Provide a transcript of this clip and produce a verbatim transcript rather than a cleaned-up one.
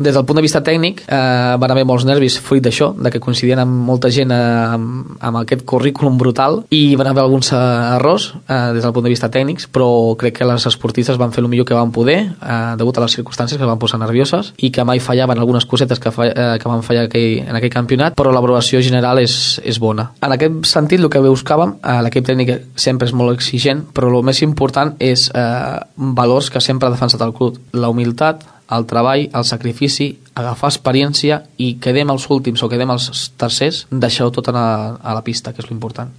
Des del punt de vista tècnic, eh, van haver molts nervis fruit d'això, de que coincidien amb molta gent eh, amb, amb aquest currículum brutal, i van haver alguns errors eh, des del punt de vista tècnics, però crec que les esportistes van fer el millor que van poder, eh, degut a les circumstàncies que van posar nervioses, i que mai fallaven algunes cosetes que, fa, eh, que van fallar aquell, en aquell campionat, però la valoració general és, és bona. En aquest sentit, el que buscàvem, eh, l'equip tècnic sempre és molt exigent, però el més important és eh, valors que sempre ha defensat el club: la humilitat, el treball, el sacrifici, agafar experiència, i quedem els últims o quedem els tercers, deixar-ho tot a la, a la pista, que és l'important.